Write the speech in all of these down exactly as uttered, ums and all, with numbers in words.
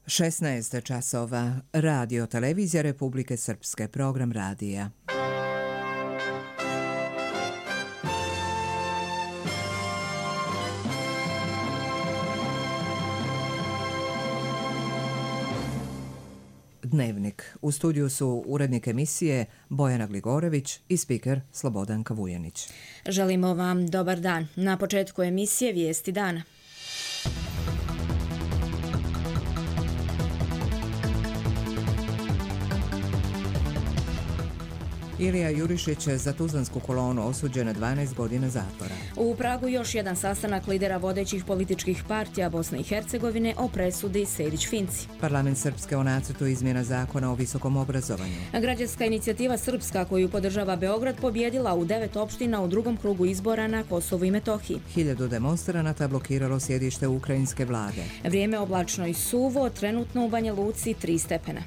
šesnaest časova. Radio Televizija Republike Srpske. Program radija. Dnevnik. U studiju su urednik emisije Bojana Gligorević i spiker Slobodanka Vujanić. Želimo vam dobar dan. Na početku emisije Vijesti dana. Ilija Jurišić za Tuzlansku kolonu osuđen na dvanaest godina zatvora. U Pragu još jedan sastanak lidera vodećih političkih partija Bosne i Hercegovine o presudi Sejdić-Finci. Parlament Srpske o nacrtu izmjena zakona o visokom obrazovanju. Građanska inicijativa Srpska koju podržava Beograd pobjedila u devet opština u drugom krugu izbora na Kosovu i Metohiji. Hiljadu demonstranata blokiralo sjedište ukrajinske vlade. Vrijeme oblačno i suvo, trenutno u Banja Luci tri stepena.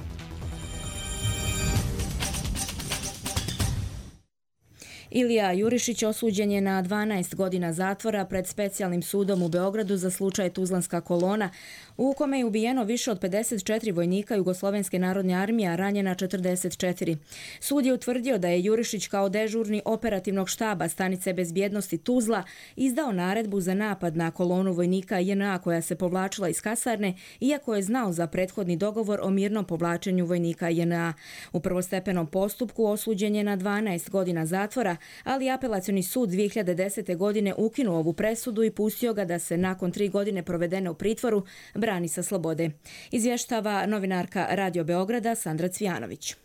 Ilija Jurišić osuđen je na dvanaest godina zatvora pred specijalnim sudom u Beogradu za slučaj Tuzlanska kolona, u kome je ubijeno više od pedeset četiri vojnika Jugoslovenske narodne armije, a ranjena četrdeset četiri. Sud je utvrdio da je Jurišić kao dežurni operativnog štaba stanice bezbjednosti Tuzla izdao naredbu za napad na kolonu vojnika J N A koja se povlačila iz kasarne, iako je znao za prethodni dogovor o mirnom povlačenju vojnika J N A. U prvostepenom postupku osuđen je na dvanaest godina zatvora, ali apelacioni sud dvije hiljade desete. godine ukinuo ovu presudu i pustio ga da se nakon tri godine provedene u pritvoru brani sa slobode. Izvještava novinarka Radio Beograda Sandra Cvijanović.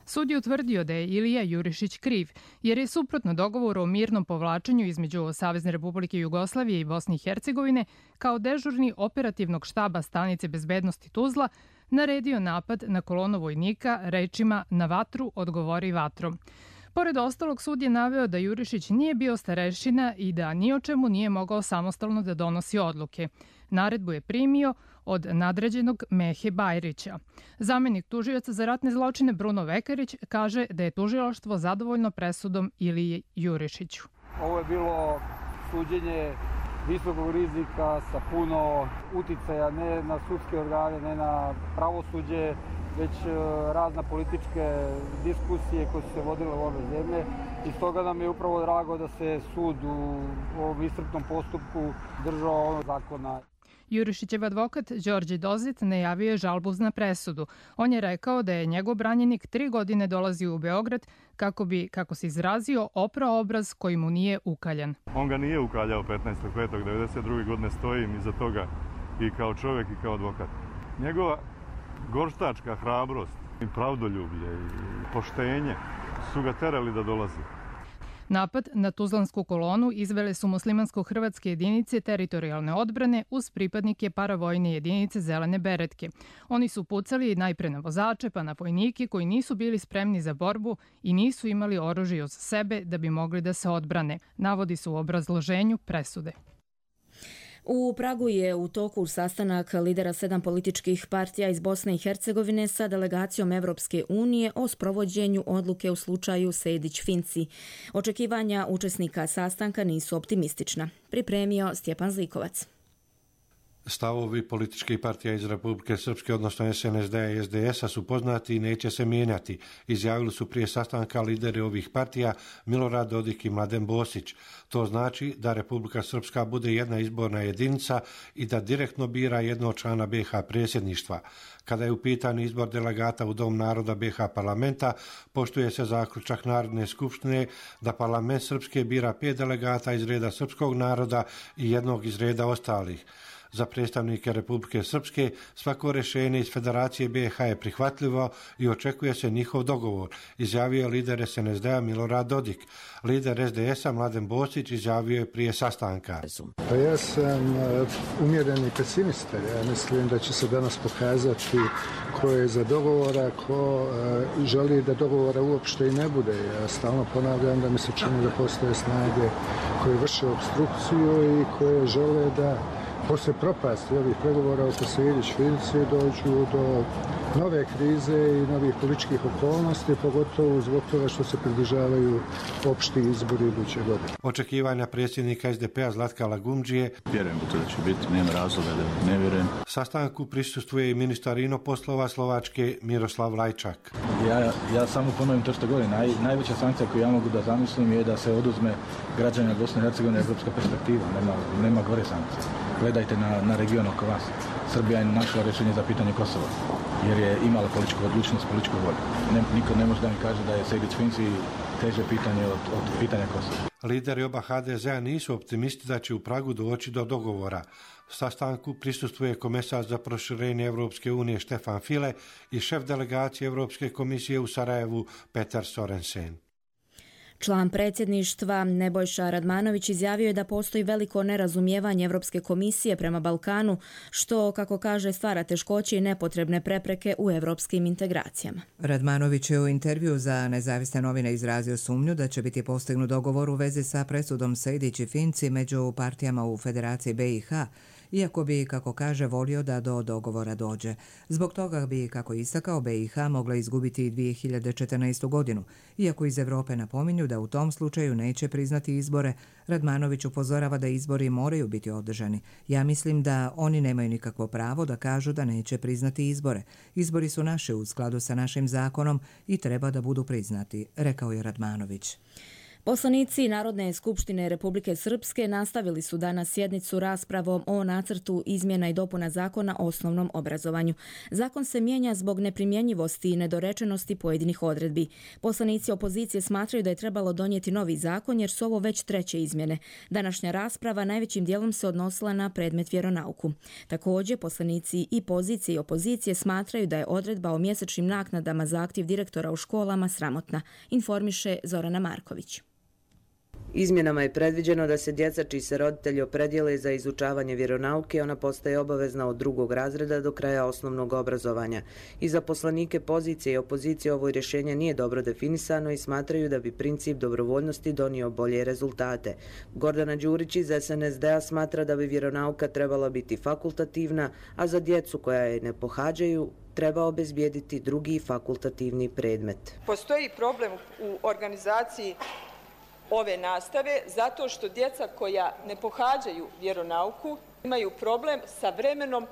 Sud je utvrdio da je Ilija Jurišić kriv, jer je suprotno dogovoru o mirnom povlačenju između Savezne Republike Jugoslavije i Bosne i Hercegovine kao dežurni operativnog štaba stanice bezbednosti Tuzla naredio napad na kolonu vojnika rečima "na vatru odgovori vatrom". Pored ostalog, sud je naveo da Jurišić nije bio starešina i da ni o čemu nije mogao samostalno da donosi odluke. Naredbu je primio od nadređenog Mehe Bajrića. Zamenik tužioca za ratne zločine Bruno Vekarić kaže da je tužilaštvo zadovoljno presudom Iliji Jurišiću. Ovo je bilo suđenje visokog rizika sa puno uticaja ne na sudske organe, ne na pravosuđe, već razna političke diskusije koje su se vodile u ove zemlje. I stoga nam je upravo drago da se sud u ovom iscrpnom postupku držao ovog zakona. Jurišićev advokat Đorđe Dozit najavio je žalbu na presudu. On je rekao da je njegov branjenik tri godine dolazio u Beograd kako bi, kako se izrazio, oprao obraz koji mu nije ukaljan. On ga nije ukaljao petnaestog petog devedeset druge. godine, stojim iza toga i kao čovjek i kao advokat. Njegova gorštačka hrabrost i pravdoljublje i poštenje su ga terali da dolazi. Napad na Tuzlansku kolonu izvele su muslimansko-hrvatske jedinice teritorijalne odbrane uz pripadnike paravojne jedinice Zelene beretke. Oni su pucali najpre na vozače pa na vojnike koji nisu bili spremni za borbu i nisu imali oružje uz sebe da bi mogli da se odbrane, navodi se u obrazloženju presude. U Pragu je u toku sastanak lidera sedam političkih partija iz Bosne i Hercegovine sa delegacijom Evropske unije o sprovođenju odluke u slučaju Sejdić-Finci. Očekivanja učesnika sastanka nisu optimistična. Pripremio Stjepan Zlikovac. Stavovi političkih partija iz Republike Srpske, odnosno S N S D-a i S D S-a su poznati i neće se mijenjati. Izjavili su prije sastanka lideri ovih partija Milorad Dodik i Mladen Bosić. To znači da Republika Srpska bude jedna izborna jedinica i da direktno bira jednog člana B H predsjedništva. Kada je u pitanju izbor delegata u Dom naroda B H parlamenta, poštuje se zaključak Narodne skupštine da parlament Srpske bira pet delegata iz reda srpskog naroda i jednog iz reda ostalih. Za predstavnike Republike Srpske svako rješenje iz Federacije B H je prihvatljivo i očekuje se njihov dogovor, izjavio je lider S N S D-a Milorad Dodik. Lider S D S-a Mladen Bosić izjavio je prije sastanka. Pa ja sam umjereni pesimista. Ja mislim da će se danas pokazati ko je za dogovora, ko želi da dogovora uopšte i ne bude. Ja stalno ponavljam da mi se čini da postoje snage koje vrše obstrukciju i koje žele da poslije propasti ovih pregovora oko Sejdić-Finci dođu do nove krize i novih političkih okolnosti, pogotovo zbog toga što se približavaju opšti izbori iduće godine. Očekivanja predsjednika es de pe-a Zlatka Lagumdžije. Vjerujem da to da će biti, nema razloga da ne vjerujem. Sastanku prisustvuje i ministar inoposlova Slovačke Miroslav Lajčak. Ja, ja samo ponovim to što govorim. Naj, najveća sankcija koju ja mogu da zamislim je da se oduzme građanima Bosne i Hercegovine evropska perspektiva. Nema, nema gore sankcije. Gledajte na, na region oko vas. Srbija je našla rješenje za pitanje Kosova, jer je imala političku odlučnost, političku volju. Ne, niko ne može da mi kaže da je Sejdić-Finci teže pitanje od, od pitanja Kosova. Lideri oba ha de zea nisu optimisti da će u Pragu doći do dogovora. Sastanku prisustvuje komesar za proširenje Evropske unije Štefan File i šef delegacije Evropske komisije u Sarajevu Petar Sorensen. Član predsjedništva Nebojša Radmanović izjavio je da postoji veliko nerazumijevanje Evropske komisije prema Balkanu, što, kako kaže, stvara teškoće i nepotrebne prepreke u evropskim integracijama. Radmanović je u intervju za Nezavisne novine izrazio sumnju da će biti postignut dogovor u vezi sa presudom Sejdić i Finci među partijama u Federaciji be i ha, iako bi, kako kaže, volio da do dogovora dođe. Zbog toga bi, kako istakao, be i ha mogla izgubiti dvije hiljade četrnaestu. godinu. Iako iz Evrope napominju da u tom slučaju neće priznati izbore, Radmanović upozorava da izbori moraju biti održani. Ja mislim da oni nemaju nikakvo pravo da kažu da neće priznati izbore. Izbori su naši u skladu sa našim zakonom i treba da budu priznati, rekao je Radmanović. Poslanici Narodne skupštine Republike Srpske nastavili su danas sjednicu raspravom o nacrtu izmjena i dopuna zakona o osnovnom obrazovanju. Zakon se mijenja zbog neprimjenjivosti i nedorečenosti pojedinih odredbi. Poslanici opozicije smatraju da je trebalo donijeti novi zakon jer su ovo već treće izmjene. Današnja rasprava najvećim dijelom se odnosila na predmet vjeronauku. Također, poslanici i pozicije i opozicije smatraju da je odredba o mjesečnim naknadama za aktiv direktora u školama sramotna, informiše Zorana Marković. Izmjenama je predviđeno da se djeca čiji se roditelji opredijele za izučavanje vjeronauke, ona postaje obavezna od drugog razreda do kraja osnovnog obrazovanja. I za poslanike pozicije i opozicije ovo rješenje nije dobro definisano i smatraju da bi princip dobrovoljnosti donio bolje rezultate. Gordana Đurić iz es en es de-a smatra da bi vjeronauka trebala biti fakultativna, a za djecu koja je ne pohađaju treba obezbijediti drugi fakultativni predmet. Postoji problem u organizaciji ove nastave zato što djeca koja ne pohađaju vjeronauku imaju problem sa vremenom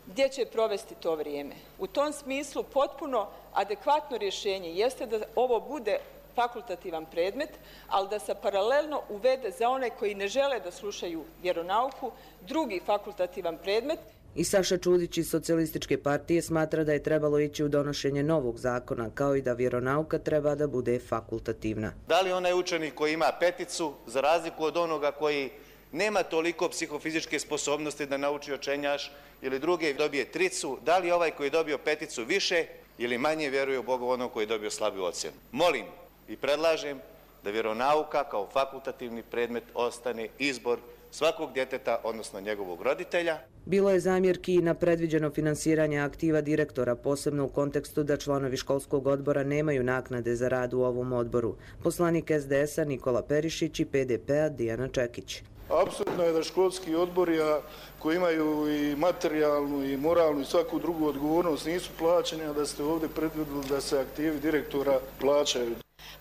gdje će provesti to vrijeme. U tom smislu potpuno adekvatno rješenje jeste da ovo bude fakultativan predmet, ali da se paralelno uvede za one koji ne žele da slušaju vjeronauku drugi fakultativan predmet. I Saša Čudić iz Socijalističke partije smatra da je trebalo ići u donošenje novog zakona, kao i da vjeronauka treba da bude fakultativna. Da li onaj učenik koji ima peticu, za razliku od onoga koji nema toliko psihofizičke sposobnosti da nauči očenjaš ili druge dobije tricu, da li ovaj koji je dobio peticu više ili manje vjeruje u Boga onog koji je dobio slabiju ocjenu? Molim i predlažem da vjeronauka kao fakultativni predmet ostane izbor svakog djeteta, odnosno njegovog roditelja. Bilo je zamjerki i na predviđeno finansiranje aktiva direktora, posebno u kontekstu da članovi školskog odbora nemaju naknade za rad u ovom odboru. Poslanik es de es-a Nikola Perišić i pe de pe-a Dijana Čekić. Apsolutno je da školski odbori koji imaju i materijalnu i moralnu i svaku drugu odgovornost nisu plaćeni, a da ste ovdje predvidjeli da se aktivi direktora plaćaju.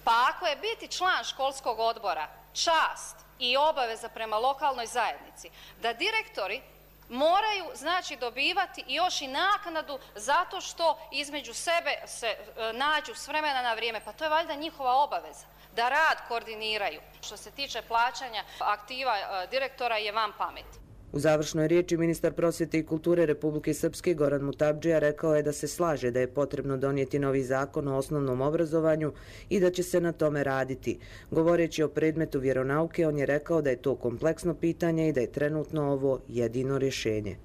Pa ako je biti član školskog odbora čast i obaveza prema lokalnoj zajednici, da direktori moraju znači dobivati još i naknadu zato što između sebe se e, nađu s vremena na vrijeme, pa to je valjda njihova obaveza da rad koordiniraju. Što se tiče plaćanja aktiva e, direktora je van pameti. U završnoj riječi ministar prosvjete i kulture Republike Srpske Goran Mutabdžija rekao je da se slaže da je potrebno donijeti novi zakon o osnovnom obrazovanju i da će se na tome raditi. Govoreći o predmetu vjeronauke, on je rekao da je to kompleksno pitanje i da je trenutno ovo jedino rješenje.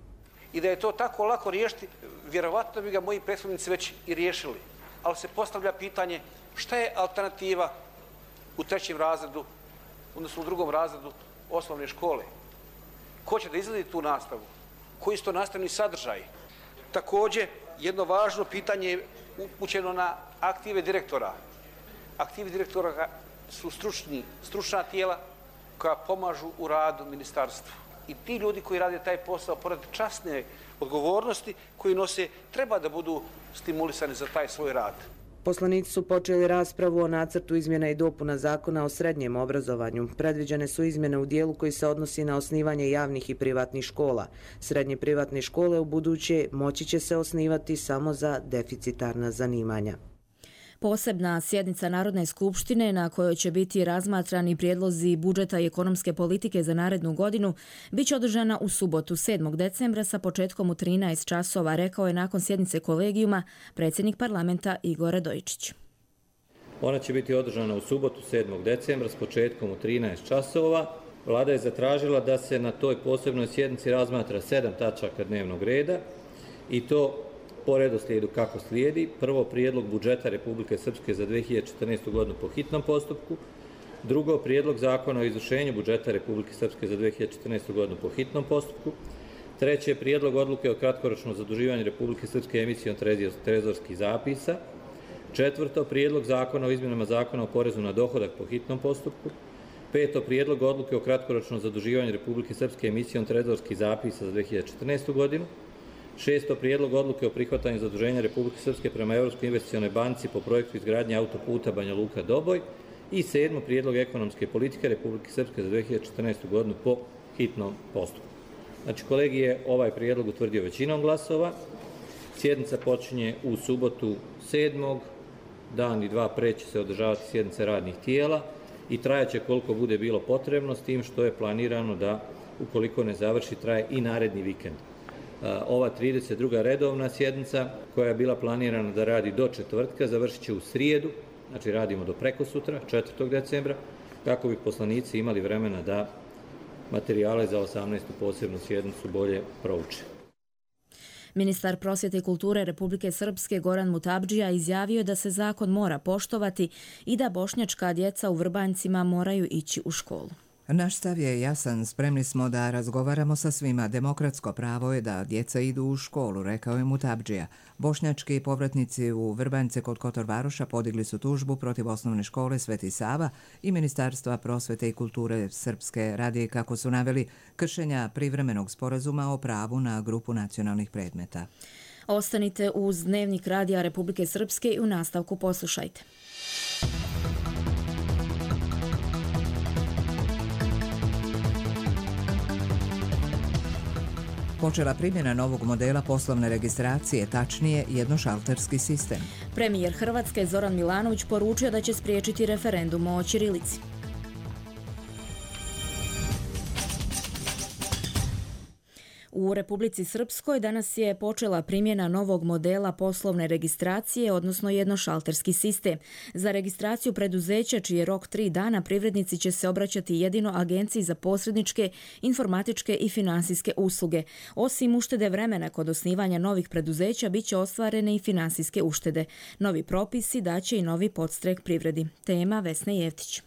I da je to tako lako riješiti, vjerovatno bi ga moji prethodnici već i riješili. Ali se postavlja pitanje šta je alternativa u trećem razredu, odnosno u drugom razredu osnovne škole. Ko će da izgledi tu nastavu? Koji su to nastavni sadržaji? Također, jedno važno pitanje je upućeno na aktive direktora. Aktivi direktora su stručni, stručna tijela koja pomažu u radu ministarstvu. i ti ljudi koji rade taj posao, pored časne odgovornosti koji nose, treba da budu stimulisani za taj svoj rad. Poslanici su počeli raspravu o nacrtu izmjena i dopuna zakona o srednjem obrazovanju. Predviđene su izmjene u dijelu koji se odnosi na osnivanje javnih i privatnih škola. Srednje privatne škole u buduće moći će se osnivati samo za deficitarna zanimanja. Posebna sjednica Narodne skupštine na kojoj će biti razmatrani prijedlozi budžeta i ekonomske politike za narednu godinu biće održana u subotu sedmog decembra sa početkom u trinaest časova, rekao je nakon sjednice kolegijuma predsjednik parlamenta Igor Radojičić. Ona će biti održana u subotu sedmog decembra s početkom u trinaest časova. Vlada je zatražila da se na toj posebnoj sjednici razmatra sedam tačaka dnevnog reda i to po redoslijedu kako slijedi. Prvo, prijedlog budžeta Republike Srpske za dve hiljade četrnaestu. godinu po hitnom postupku. Drugo, prijedlog zakona o izvršenju budžeta Republike Srpske za dve hiljade četrnaestu. godinu po hitnom postupku. Treće, prijedlog odluke o kratkoročnom zaduživanju Republike Srpske emisijom trezorskih zapisa. Četvrto, prijedlog zakona o izmjenama zakona o porezu na dohodak po hitnom postupku. Peto, prijedlog odluke o kratkoročnom zaduživanju Republike Srpske emisijom trezorskih zapisa za dve hiljade četrnaestu. godinu. Šesto, prijedlog odluke o prihvatanju zaduženja Republike Srpske prema Evropskoj investicionoj banci po projektu izgradnje autoputa Banja Luka-Doboj. I sedmo, prijedlog ekonomske politike Republike Srpske za dve hiljade četrnaestu. godinu po hitnom postupku. Znači, kolegij je ovaj prijedlog utvrdio većinom glasova. Sjednica počinje u subotu sedmog Dan i dva pre će se održavati sjednice radnih tijela i trajaće koliko bude bilo potrebno, s tim što je planirano da, ukoliko ne završi, traje i naredni vikend. Ova trideset druga redovna sjednica, koja je bila planirana da radi do četvrtka, završit će u srijedu, znači radimo do prekosutra, četvrtog decembra, kako bi poslanici imali vremena da materijale za osamnaestu posebnu sjednicu bolje prouče. Ministar prosvjete i kulture Republike Srpske Goran Mutabdžija izjavio da se zakon mora poštovati i da bošnjačka djeca u Vrbanjcima moraju ići u školu. Naš stav je jasan, spremni smo da razgovaramo sa svima. Demokratsko pravo je da djeca idu u školu, rekao je Mutabdžija. Bošnjački povratnici u Vrbanjce kod Kotor Varoša podigli su tužbu protiv osnovne škole Sveti Sava i Ministarstva prosvete i kulture Srpske radi, kako su naveli, kršenja privremenog sporazuma o pravu na grupu nacionalnih predmeta. Ostanite uz Dnevnik radija Republike Srpske i u nastavku poslušajte. Počela primjena novog modela poslovne registracije, tačnije jednošalterski sistem. Premijer Hrvatske Zoran Milanović poručio da će spriječiti referendum o ćirilici. U Republici Srpskoj danas je počela primjena novog modela poslovne registracije, odnosno jednošalterski sistem. Za registraciju preduzeća, čiji je rok tri dana, privrednici će se obraćati jedino Agenciji za posredničke, informatičke i finansijske usluge. Osim uštede vremena kod osnivanja novih preduzeća, bit će ostvarene i finansijske uštede. Novi propisi daće i novi podstrek privredi. Tema Vesna Jevtić.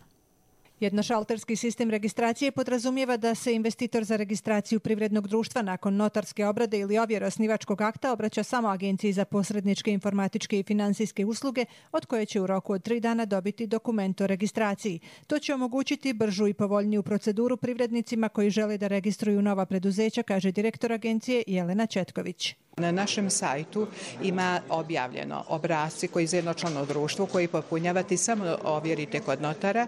Jednošalterski sistem registracije podrazumijeva da se investitor za registraciju privrednog društva nakon notarske obrade ili ovjere osnivačkog akta obraća samo Agenciji za posredničke, informatičke i finansijske usluge, od koje će u roku od tri dana dobiti dokument o registraciji. To će omogućiti bržu i povoljniju proceduru privrednicima koji žele da registruju nova preduzeća, kaže direktor agencije Jelena Četković. Na našem sajtu ima objavljeno obrasci koji za jednočlano društvo koji popunjavate samo ovjerite kod notara,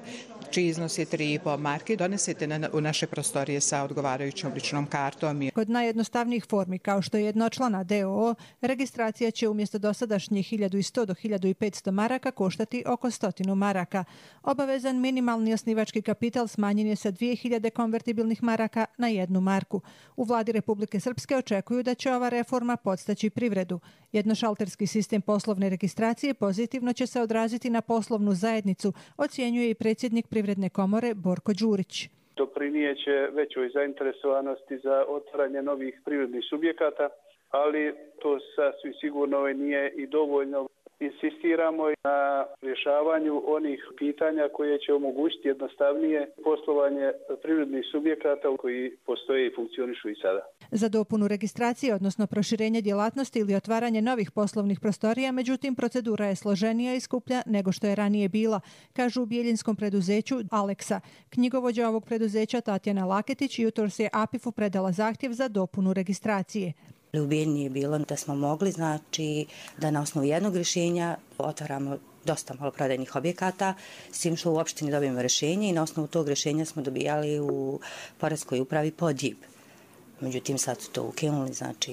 čiji iznos je tri i po marke, donesete na, u naše prostorije sa odgovarajućom ličnom kartom. Kod najjednostavnijih formi, kao što je jednočlana D O O, registracija će umjesto dosadašnjih hiljadu sto do hiljadu petsto maraka koštati oko stotinu maraka. Obavezan minimalni osnivački kapital smanjen je sa dvije hiljade konvertibilnih maraka na jednu marku. U vladi Republike Srpske očekuju da će ova reforma podstaći privredu. Jednošalterski sistem poslovne registracije pozitivno će se odraziti na poslovnu zajednicu, ocjenjuje i predsjednik Privredne komore Borko Đurić. Doprinijeće većoj zainteresovanosti za otvaranje novih privrednih subjekata, ali to sasvim sigurno nije i dovoljno. insistiramo na rješavanju onih pitanja koje će omogućiti jednostavnije poslovanje privrednih subjekata koji postoje i funkcionišu i sada. Za dopunu registracije, odnosno proširenje djelatnosti ili otvaranje novih poslovnih prostorija, međutim, procedura je složenija i skuplja nego što je ranije bila, kažu u bijeljinskom preduzeću Aleksa. Knjigovođa ovog preduzeća Tatjana Laketić jutros je A P I F-u predala zahtjev za dopunu registracije. U Bijeljini je bilo da smo mogli, znači, da na osnovu jednog rješenja otvaramo dosta maloprodajnih objekata, s tim što u opštini dobijemo rješenje i na osnovu tog rješenja smo dobijali u poreskoj upravi pod J I B. Međutim, sad su to ukinuli, znači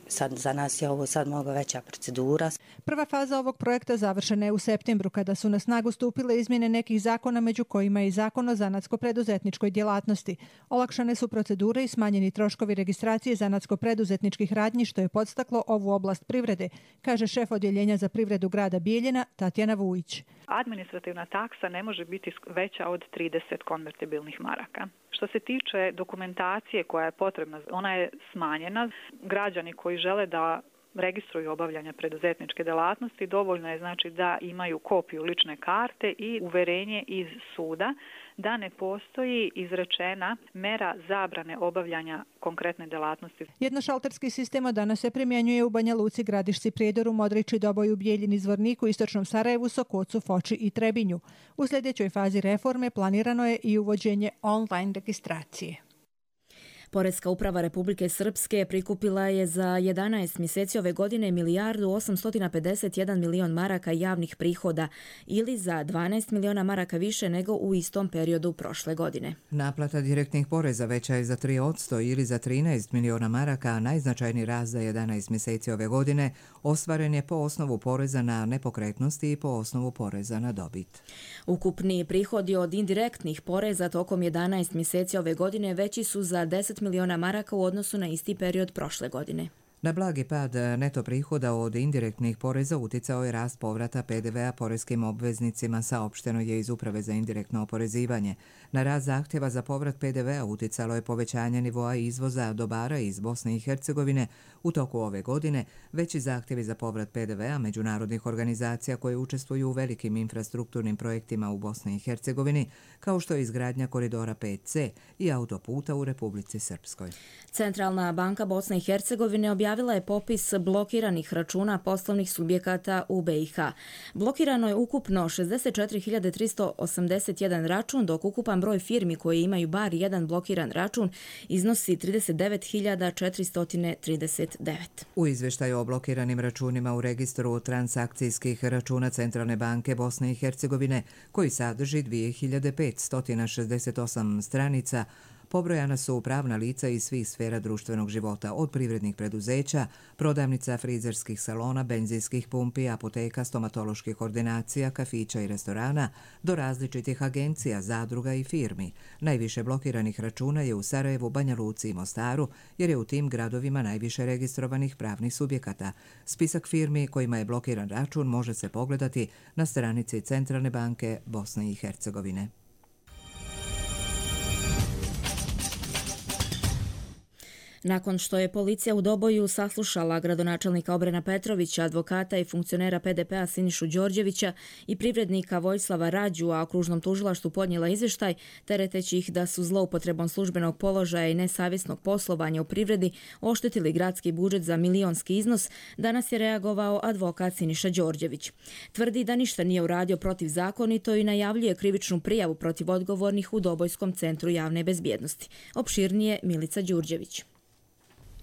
sad za nas je ovo sad mnogo veća procedura. Prva faza ovog projekta završena je u septembru, kada su na snagu stupile izmjene nekih zakona, među kojima je i zakon o zanatsko-preduzetničkoj djelatnosti. Olakšane su procedure i smanjeni troškovi registracije zanatsko-preduzetničkih radnji, što je podstaklo ovu oblast privrede, kaže šef odjeljenja za privredu grada Bijeljina Tatjana Vujić. Administrativna taksa ne može biti veća od trideset konvertibilnih maraka. Što se tiče dokumentacije koja je potrebna, ona je smanjena. Građani koji žele da registruju obavljanje preduzetničke djelatnosti, dovoljno je znači da imaju kopiju lične karte i uverenje iz suda da ne postoji izrečena mera zabrane obavljanja konkretne djelatnosti. Jednošalterski sistem od danas se primjenjuje u Banja Luci, Gradišci, Prijedoru, Modriči, Doboju, Bijeljini, Zvorniku, Istočnom Sarajevu, Sokocu, Foči i Trebinju. U sljedećoj fazi reforme planirano je i uvođenje online registracije. Poreska uprava Republike Srpske prikupila je za jedanaest mjeseci ove godine milijardu osamsto pedeset jedan milion maraka javnih prihoda ili za dvanaest miliona maraka više nego u istom periodu prošle godine. Naplata direktnih poreza veća je za tri posto ili za trinaest miliona maraka, a najznačajniji rast za jedanaest mjeseci ove godine ostvaren je po osnovu poreza na nepokretnosti i po osnovu poreza na dobit. Ukupni prihodi od indirektnih poreza tokom jedanaest mjeseci ove godine veći su za deset miliona maraka u odnosu na isti period prošle godine. Na blagi pad neto prihoda od indirektnih poreza uticao je rast povrata P D V-a poreskim obveznicima, saopšteno je iz Uprave za indirektno oporezivanje. Na rast zahtjeva za povrat P D V-a uticalo je povećanje nivoa izvoza dobara iz Bosne i Hercegovine. U toku ove godine veći zahtjevi za povrat P D V-a međunarodnih organizacija koje učestvuju u velikim infrastrukturnim projektima u Bosni i Hercegovini, kao što je izgradnja koridora pet C i autoputa u Republici Srpskoj. Centralna banka Bosne i Hercegovine objavila je popis blokiranih računa poslovnih subjekata u B i H. Blokirano je ukupno šezdeset četiri hiljade tristo osamdeset jedan račun, dok ukupan broj firmi koji imaju bar jedan blokiran račun iznosi trideset devet hiljada četiristo trideset devet. U izvještaju o blokiranim računima u registru transakcijskih računa Centralne banke Bosne i Hercegovine, koji sadrži dvije hiljade petsto šezdeset osam stranica, pobrojana su pravna lica iz svih sfera društvenog života, od privrednih preduzeća, prodavnica frizerskih salona, benzinskih pumpi, apoteka, stomatoloških ordinacija, kafića i restorana, do različitih agencija, zadruga i firmi. Najviše blokiranih računa je u Sarajevu, Banja Luci i Mostaru, jer je u tim gradovima najviše registrovanih pravnih subjekata. Spisak firmi kojima je blokiran račun može se pogledati na stranici Centralne banke Bosne i Hercegovine. Nakon što je policija u Doboju saslušala gradonačelnika Obrena Petrovića, advokata i funkcionera P D P-a Sinišu Đorđevića i privrednika Vojislava Rađu, a okružnom tužilaštvu podnijela izvještaj, tereteći ih da su zloupotrebom službenog položaja i nesavjesnog poslovanja u privredi oštetili gradski budžet za milionski iznos, danas je reagovao advokat Siniša Đorđević. Tvrdi da ništa nije uradio protivzakonito i najavljuje krivičnu prijavu protiv odgovornih u Dobojskom centru javne bezbjednosti. Opširnije Milica Đurđević.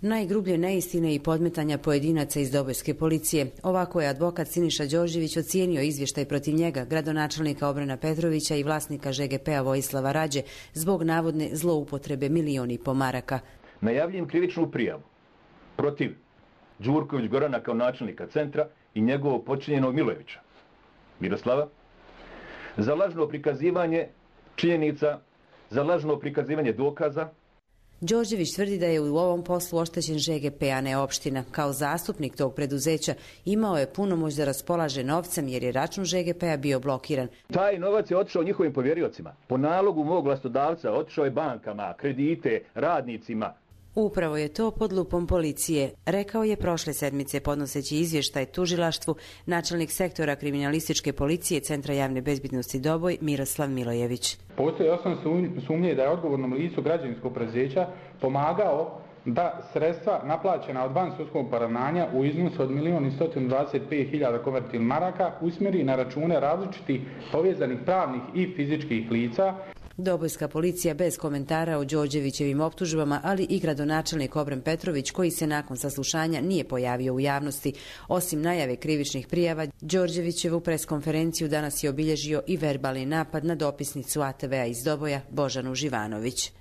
Najgrublje neistine i podmetanja pojedinaca iz Dobojske policije. Ovako je advokat Siniša Đorđević ocijenio izvještaj protiv njega, gradonačelnika Obrena Petrovića i vlasnika Ž G P-a Vojislava Rađe zbog navodne zloupotrebe milion i po maraka. Najavljujem krivičnu prijavu protiv Đurković Gorana kao načelnika centra i njegovog počinjenog Milojevića Miroslava za lažno prikazivanje činjenica, za lažno prikazivanje dokaza. Đorđević tvrdi da je u ovom poslu oštećen Ž G P, a ne opština. Kao zastupnik tog preduzeća imao je punomoć da raspolaže novcem jer je račun Ž G P-a bio blokiran. Taj novac je otišao njihovim povjeriocima. Po nalogu mog vlastodavca otišao je bankama, kredite, radnicima. Upravo je to pod lupom policije, rekao je prošle sedmice podnoseći izvještaj tužilaštvu načelnik sektora kriminalističke policije Centra javne bezbednosti Doboj Miroslav Milojević. Postoji osnovne sumnje da je odgovornom licu građevinskog preduzeća pomagao da sredstva naplaćena od vansudskog poravnanja u iznosu od milion i sto dvadeset pet hiljada konvertibilnih maraka usmjeri na račune različitih povezanih pravnih i fizičkih lica. Dobojska policija bez komentara o Đorđevićevim optužbama, ali i gradonačelnik Obren Petrović, koji se nakon saslušanja nije pojavio u javnosti. Osim najave krivičnih prijava, Đorđevićevu preskonferenciju danas je obilježio i verbalni napad na dopisnicu A T V-a iz Doboja Božanu Živanović.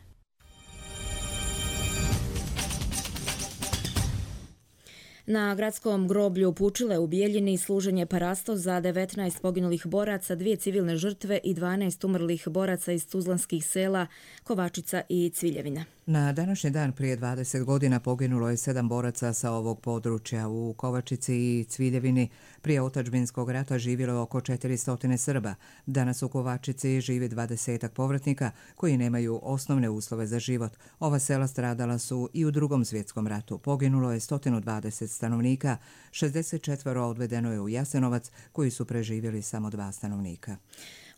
Na gradskom groblju u Pučile u Bijeljini služen je parasto za devetnaest poginulih boraca, dvije civilne žrtve i dvanaest umrlih boraca iz tuzlanskih sela Kovačica i Cviljevina. Na današnji dan prije dvadeset godina poginulo je sedam boraca sa ovog područja. U Kovačici i Cviljevini prije otadžbinskog rata živjelo je oko četiristo Srba. Danas u Kovačici živi dvadesetak povratnika koji nemaju osnovne uslove za život. Ova sela stradala su i u Drugom svjetskom ratu. Poginulo je sto dvadeset stanovnika, šezdeset četiri odvedeno je u Jasenovac, koji su preživjeli samo dva stanovnika.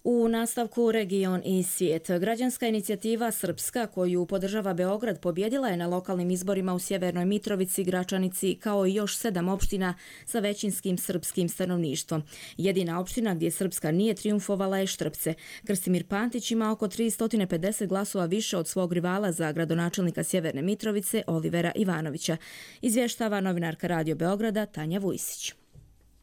U nastavku Region i svijet. Građanska inicijativa Srpska, koju podržava Beograd, pobjedila je na lokalnim izborima u Sjevernoj Mitrovici, Gračanici, kao i još sedam opština sa većinskim srpskim stanovništvom. Jedina opština gdje Srpska nije trijumfovala je Štrpce. Krstimir Pantić ima oko tristo pedeset glasova više od svog rivala za gradonačelnika Sjeverne Mitrovice, Olivera Ivanovića. Izvještava novinarka Radio Beograda Tanja Vujsić.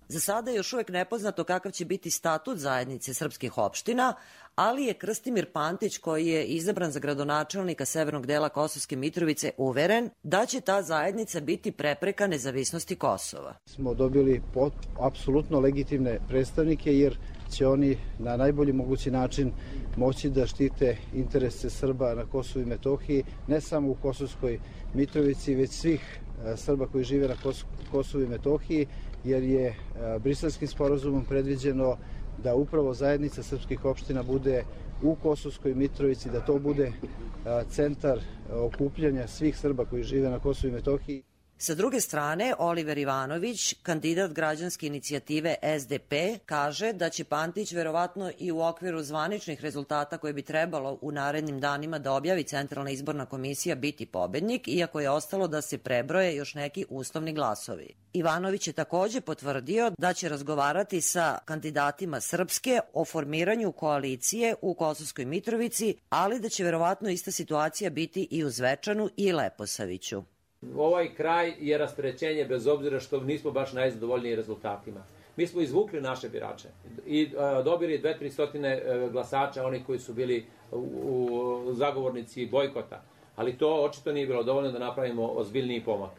Za sada je još uvijek nepoznato kakav će biti statut zajednice srpskih opština, ali je Krstimir Pantić, koji je izabran za gradonačelnika severnog dela Kosovske Mitrovice, uveren da će ta zajednica biti prepreka nezavisnosti Kosova. Smo dobili apsolutno legitimne predstavnike jer će oni na najbolji mogući način moći da štite interese Srba na Kosovu i Metohiji, ne samo u Kosovskoj Mitrovici, već svih Srba koji žive na Kosovu i Metohiji, jer je Briselskim sporazumom predviđeno da upravo zajednica srpskih opština bude u Kosovskoj Mitrovici, da to bude centar okupljanja svih Srba koji žive na Kosovu i Metohiji. Sa druge strane, Oliver Ivanović, kandidat građanske inicijative S D P, kaže da će Pantić verovatno i u okviru zvaničnih rezultata koje bi trebalo u narednim danima da objavi Centralna izborna komisija biti pobednik, iako je ostalo da se prebroje još neki uslovni glasovi. Ivanović je također potvrdio da će razgovarati sa kandidatima Srpske o formiranju koalicije u Kosovskoj Mitrovici, ali da će verovatno ista situacija biti i u Zvečanu i Leposaviću. Ovaj kraj je rasterećenje bez obzira što nismo baš najzadovoljniji rezultatima. Mi smo izvukli naše birače i uh, dobili dve do tri stotine uh, glasača, oni koji su bili u, u zagovornici bojkota, ali to očito nije bilo dovoljno da napravimo ozbiljniji pomak.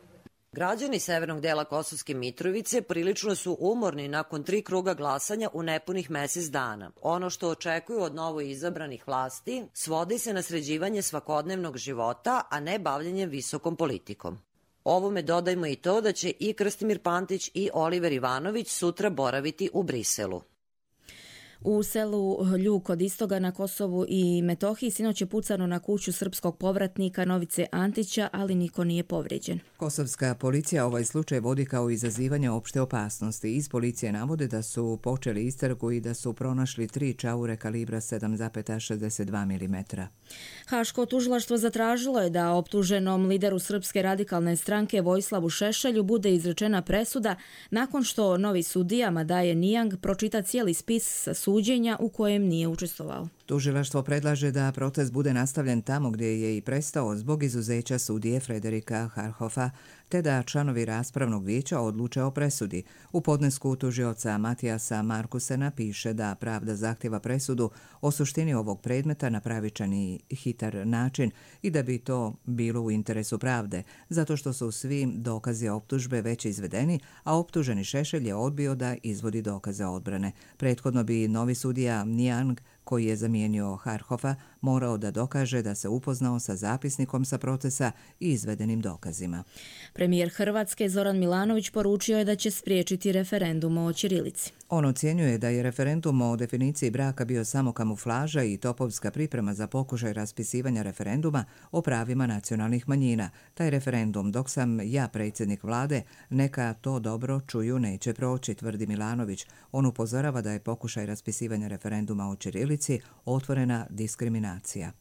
Građani severnog dela Kosovske Mitrovice prilično su umorni nakon tri kruga glasanja u nepunih mjesec dana. Ono što očekuju od novo izabranih vlasti svodi se na sređivanje svakodnevnog života, a ne bavljenjem visokom politikom. Ovome dodajmo i to da će i Krstimir Pantić i Oliver Ivanović sutra boraviti u Briselu. U selu Ljuk kod Istoga na Kosovu i Metohiji sinoć je pucano na kuću srpskog povratnika Novice Antića, ali niko nije povrijeđen. Kosovska policija ovaj slučaj vodi kao izazivanje opšte opasnosti. Iz policije navode da su počeli istragu i da su pronašli tri čaure kalibra sedam zarez šezdeset dva milimetra. Haško tužilaštvo zatražilo je da optuženom lideru Srpske radikalne stranke Vojislavu Šešelju bude izrečena presuda nakon što novi sudija Madaje Nijang pročita cijeli spis sa suđenja u kojem nije učestvovao. Tužilaštvo predlaže da proces bude nastavljen tamo gdje je i prestao zbog izuzeća sudije Frederika Harhofa, te da članovi raspravnog vijeća odluče o presudi. U podnesku tužioca Matijasa Markusena piše da pravda zahtjeva presudu o suštini ovog predmeta na pravičan i hitar način i da bi to bilo u interesu pravde, zato što su svi dokazi optužbe već izvedeni, a optuženi Šešelj je odbio da izvodi dokaze odbrane. Prethodno bi novi sudija Nijang, koji je zamijenio Harhofa, morao da dokaže da se upoznao sa zapisnikom sa procesa i izvedenim dokazima. Premijer Hrvatske Zoran Milanović poručio je da će spriječiti referendum o ćirilici. On ocjenjuje da je referendum o definiciji braka bio samo kamuflaža i topovska priprema za pokušaj raspisivanja referenduma o pravima nacionalnih manjina. Taj referendum, dok sam ja predsjednik vlade, neka to dobro čuju, neće proći, tvrdi Milanović. On upozorava da je pokušaj raspisivanja referenduma o ćirilici otvorena diskriminacija.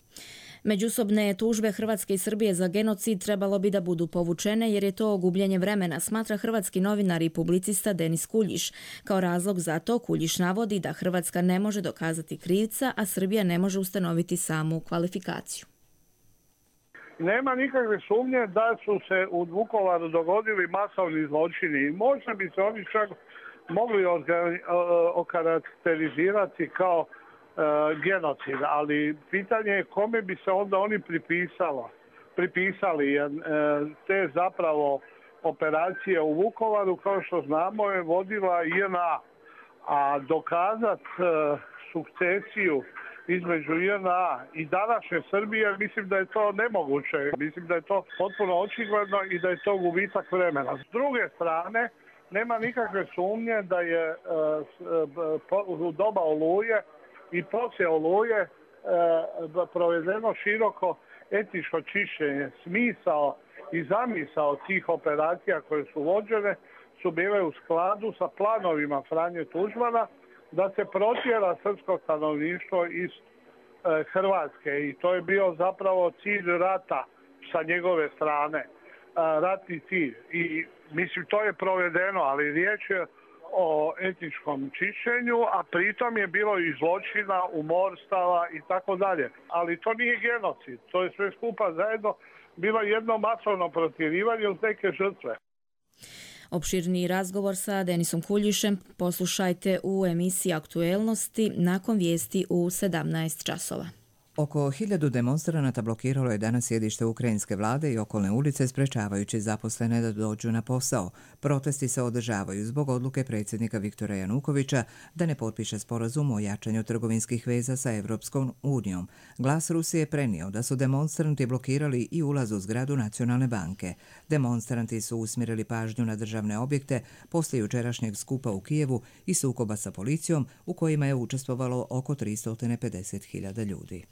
Međusobne tužbe Hrvatske i Srbije za genocid trebalo bi da budu povučene jer je to gubljenje vremena, smatra hrvatski novinar i publicista Denis Kuljiš. Kao razlog za to Kuljiš navodi da Hrvatska ne može dokazati krivca, a Srbija ne može ustanoviti samu kvalifikaciju. Nema nikakve sumnje da su se u Vukovaru dogodili masovni zločini i možda bi se oni čak mogli okarakterizirati kao genocid, ali pitanje je kome bi se onda oni pripisalo, pripisali, jer te zapravo operacije u Vukovaru, kao što znamo, je vodila J N A, a dokazat sukcesiju između J N A i današnje Srbije, mislim da je to nemoguće, mislim da je to potpuno očigledno i da je to gubitak vremena. S druge strane, nema nikakve sumnje da je u doba Oluje i poslije Oluje e, provedeno široko etničko čišćenje. Smisao i zamisao tih operacija koje su vođene su bile u skladu sa planovima Franje Tuđmana da se protjera srpsko stanovništvo iz e, Hrvatske i to je bio zapravo cilj rata sa njegove strane, e, ratni cilj. I mislim to je provedeno, ali riječ je o etničkom čišćenju, a pritom je bilo i zločina, umorstava i tako dalje. Ali to nije genocid, to je sve skupa zajedno bilo jedno masovno protjerivanje uz neke žrtve. Opširniji razgovor sa Denisom Kuljišem poslušajte u emisiji Aktuelnosti nakon vijesti u sedamnaest časova. Oko hiljadu demonstranata blokiralo je danas sjedište ukrajinske vlade i okolne ulice sprečavajući zaposlene da dođu na posao. Protesti se održavaju zbog odluke predsjednika Viktora Janukovića da ne potpiše sporazum o jačanju trgovinskih veza sa Evropskom unijom. Glas Rusije prenio da su demonstranti blokirali i ulaz u zgradu Nacionalne banke. Demonstranti su usmjerili pažnju na državne objekte poslije jučerašnjeg skupa u Kijevu i sukoba sa policijom u kojima je učestvovalo oko tristo pedeset hiljada ljudi.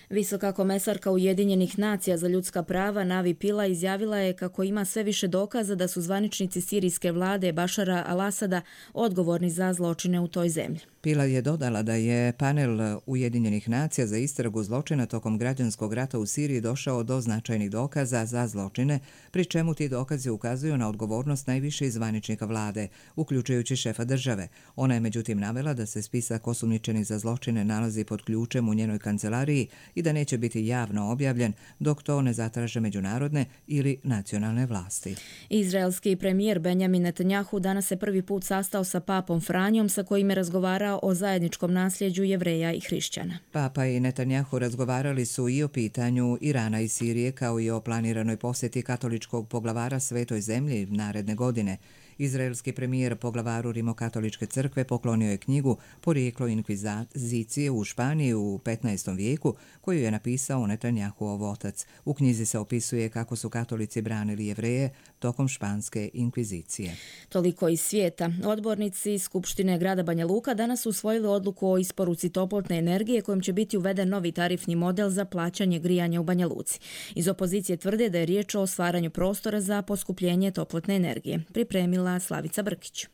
Visoka komesarka Ujedinjenih nacija za ljudska prava Navi Pila izjavila je kako ima sve više dokaza da su zvaničnici sirijske vlade Bašara al-Asada odgovorni za zločine u toj zemlji. Pila je dodala da je panel Ujedinjenih nacija za istragu zločina tokom građanskog rata u Siriji došao do značajnih dokaza za zločine, pri čemu ti dokazi ukazuju na odgovornost najviše zvaničnika vlade, uključujući šefa države. Ona je međutim navela da se spisak osumnjičenih za zločine nalazi pod ključem u njenoj kancelariji i da neće biti javno objavljen dok to ne zatraže međunarodne ili nacionalne vlasti. Izraelski premijer Benjamin Netanjahu danas se prvi put sastao sa papom Franjom sa kojim je razgovarao o zajedničkom nasljeđu Jevreja i hrišćana. Papa i Netanjahu razgovarali su i o pitanju Irana i Sirije kao i o planiranoj posjeti katoličkog poglavara Svetoj zemlji naredne godine. Izraelski premijer poglavaru Rimokatoličke crkve poklonio je knjigu Porijeklo inkvizicije u Španiji u petnaestom vijeku koju je napisao Netanjahuov otac. U knjizi se opisuje kako su katolici branili Jevreje tokom španske inkvizicije. Toliko iz svijeta. Odbornici Skupštine grada Banja Luka danas su usvojili odluku o isporuci toplotne energije kojom će biti uveden novi tarifni model za plaćanje grijanja u Banja Luci. Iz opozicije tvrde da je riječ o stvaranju prostora za poskupljenje toplotne energije. Pripremila Slavica Brkić.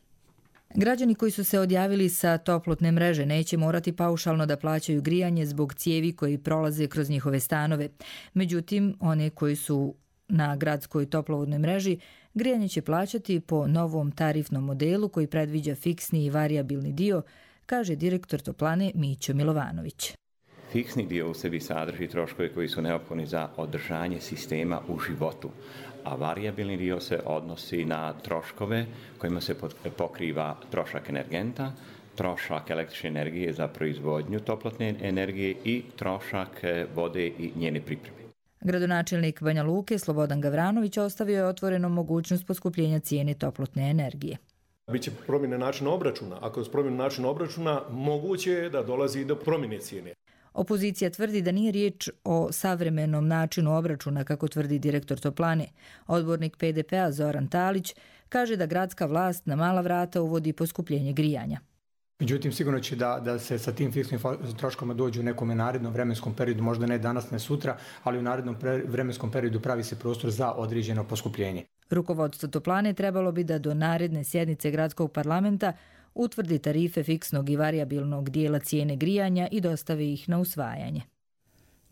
Građani koji su se odjavili sa toplotne mreže neće morati paušalno da plaćaju grijanje zbog cijevi koji prolaze kroz njihove stanove. Međutim, one koji su na gradskoj toplovodnoj mreži grijanje će plaćati po novom tarifnom modelu koji predviđa fiksni i varijabilni dio, kaže direktor toplane Mićo Milovanović. Fiksni dio u sebi sadrži troškove koji su neophodni za održanje sistema u životu, a varijabilni dio se odnosi na troškove kojima se pokriva trošak energenta, trošak električne energije za proizvodnju toplotne energije i trošak vode i njene pripreme. Gradonačelnik Banja Luke Slobodan Gavranović ostavio je otvorenom mogućnost poskupljenja cijene toplotne energije. Biće promjene načina obračuna. Ako je promjena načina obračuna, moguće je da dolazi do promjene cijene. Opozicija tvrdi da nije riječ o savremenom načinu obračuna, kako tvrdi direktor toplane. Odbornik P D P-a Zoran Talić kaže da gradska vlast na mala vrata uvodi poskupljenje grijanja. Međutim, sigurno će da, da se sa tim fiksnim troškovima dođu u nekom narednom vremenskom periodu, možda ne danas, ne sutra, ali u narednom pre, vremenskom periodu pravi se prostor za određeno poskupljenje. Rukovodstvo toplane trebalo bi da do naredne sjednice gradskog parlamenta utvrdi tarife fiksnog i varijabilnog dijela cijene grijanja i dostavi ih na usvajanje.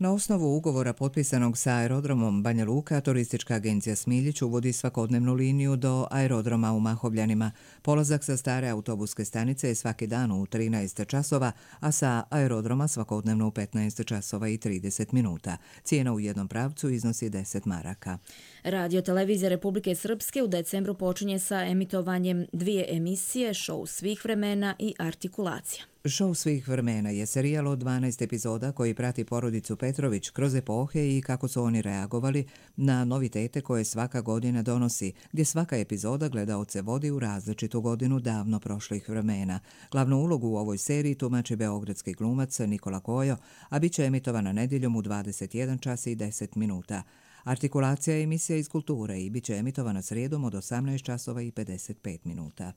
Na osnovu ugovora potpisanog sa aerodromom Banja Luka, turistička agencija Smiljić uvodi svakodnevnu liniju do aerodroma u Mahovljanima. Polazak sa stare autobuske stanice je svaki dan u trinaest časova, a sa aerodroma svakodnevno u petnaest časova i trideset minuta. Cijena u jednom pravcu iznosi deset maraka. Radio televizija Republike Srpske u decembru počinje sa emitovanjem dvije emisije, Šou svih vremena i Artikulacija. Šou svih vremena je serijal od dvanaest epizoda koji prati porodicu Petrović kroz epohe i kako su oni reagovali na novitete koje svaka godina donosi, gdje svaka epizoda gledaoce vodi u različitu godinu davno prošlih vremena. Glavnu ulogu u ovoj seriji tumači beogradski glumac Nikola Kojo, a bit će emitovana nedjeljom u dvadeset jedan čas i deset minuta. Artikulacija je emisija iz kulture i bit će emitovana srijedom od osamnaest časova i pedeset pet minuta.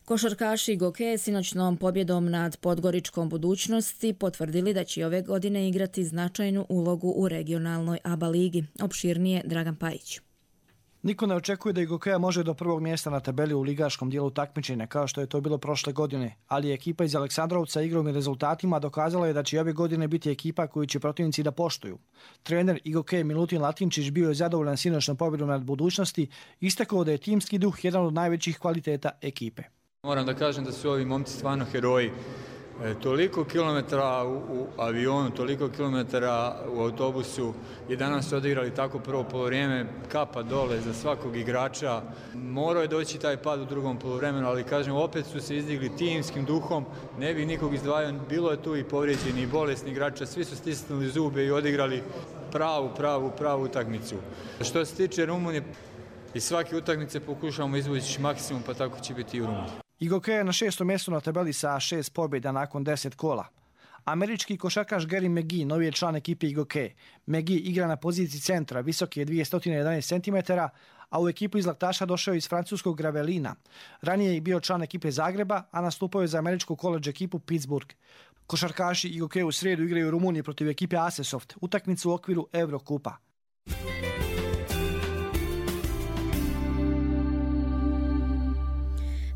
Košarkaši Goke sinoćnom pobjedom nad Podgoričkom Budućnosti potvrdili da će ove godine igrati značajnu ulogu u regionalnoj A B A ligi. Opširnije Dragan Pajić. Niko ne očekuje da i Gokeja može do prvog mjesta na tabeli u ligaškom dijelu takmičenja, kao što je to bilo prošle godine, ali ekipa iz Aleksandrovca igrom i rezultatima dokazala je da će ove godine biti ekipa koju će protivnici da poštuju. Trener i Gokeja Milutin Latinčić bio je zadovoljan sinoćnom pobjedom nad Budućnosti, istakao da je timski duh jedan od najvećih kvaliteta ekipe. Moram da kažem da su ovi momci stvarno heroji. E, toliko kilometara u, u avionu, toliko kilometara u autobusu i danas su odigrali tako prvo polovreme, kapa dole za svakog igrača. Morao je doći taj pad u drugom polovremenu, ali kažem, opet su se izdigli timskim duhom, ne bi nikog izdvajao, bilo je tu i povrijeđeni i bolesni igrača, svi su stisnuli zube i odigrali pravu, pravu, pravu utakmicu. Što se tiče Rumunije, iz svake utakmice pokušavamo izvući maksimum, pa tako će biti i u Rumuniji. I Gokeja je na šestom mjestu na tabeli sa šest pobjeda nakon deset kola. Američki košarkaš Gary McGee, novi je član ekipe Gokeje. McGee igra na poziciji centra, visok je dvjesto jedanaest centimetara, a u ekipu iz Laktaša došao iz francuskog Gravelina. Ranije je bio član ekipe Zagreba, a nastupao je za američku koledž ekipu Pittsburgh. Košarkaši i Gokeje u srijedu igraju u Rumuniji protiv ekipe Asesoft, utakmicu u okviru Eurokupa.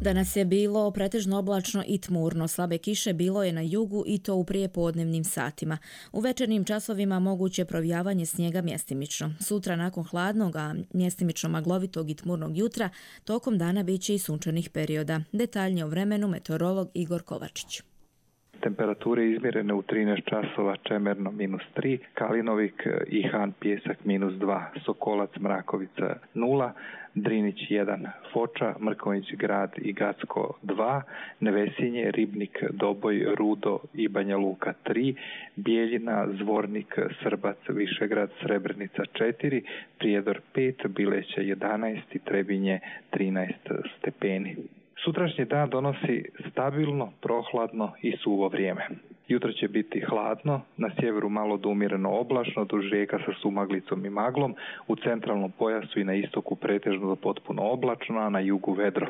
Danas je bilo pretežno oblačno i tmurno. Slabe kiše bilo je na jugu i to u prijepodnevnim satima. U večernjim časovima moguće provijavanje snijega mjestimično. Sutra nakon hladnog, a mjestimično maglovitog i tmurnog jutra, tokom dana bit će i sunčanih perioda. Detaljnije o vremenu meteorolog Igor Kovačić. Temperature izmjerene u trinaest časova, Čemerno minus tri, Kalinovik i Han Pjesak minus dva, Sokolac Mrakovica nula, Drinić jedan, Foča, Mrkonjić Grad i Gacko dva, Nevesinje, Ribnik, Doboj, Rudo i Banja Luka tri, Bijeljina, Zvornik, Srbac, Višegrad, Srebrenica četiri, Prijedor pet, Bileća jedanaest i Trebinje trinaest stepeni. Sutrašnji dan donosi stabilno, prohladno i suvo vrijeme. Jutro će biti hladno, na sjeveru malo do umjereno oblačno, duž rijeka sa sumaglicom i maglom, u centralnom pojasu i na istoku pretežno do potpuno oblačno, a na jugu vedro.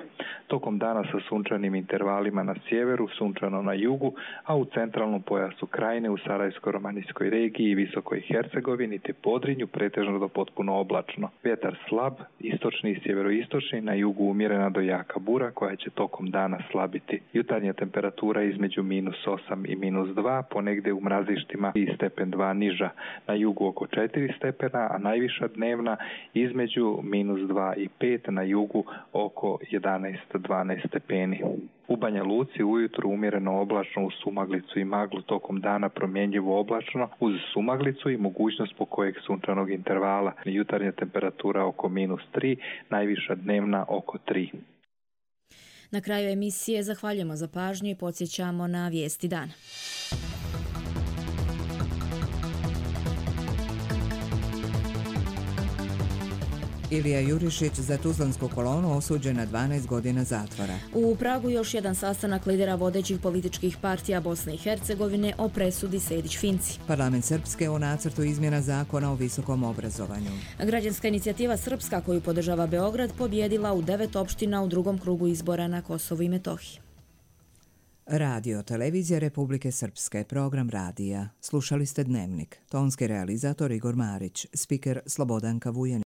Tokom dana sa sunčanim intervalima na sjeveru, sunčano na jugu, a u centralnom pojasu Krajine, u Sarajevsko-romanijskoj regiji i Visokoj Hercegovini te Podrinju pretežno do potpuno oblačno. Vjetar slab, istočni i sjeveroistočni, na jugu umjerena do jaka bura koja će tokom dana slabiti. Jutarnja temperatura između minus osam i minus dva, ponegdje u mrazištima i stepen dva niža, na jugu oko četiri stepena, a najviša dnevna između minus dva i pet, na jugu oko jedanaest do dvanaest stepeni. U Banja Luci ujutro umjereno oblačno uz sumaglicu i maglu, tokom dana promjenjivo oblačno uz sumaglicu i mogućnost po kojeg sunčanog intervala. Jutarnja temperatura oko minus tri, najviša dnevna oko tri. Na kraju emisije zahvaljujemo za pažnju i podsjećamo na vijesti dana. Ilija Jurišić za Tuzlansku kolonu osuđen na dvanaest godina zatvora. U Pragu još jedan sastanak lidera vodećih političkih partija Bosne i Hercegovine o presudi Sejdić-Finci. Parlament Srpske o nacrtu izmjena zakona o visokom obrazovanju. Građanska inicijativa Srpska koju podržava Beograd pobjedila u devet opština u drugom krugu izbora na Kosovu i Metohiji. Radio Televizija Republike Srpske, program radija. Slušali ste Dnevnik. Tonski realizator Igor Marić, spiker Slobodanka Vujanić.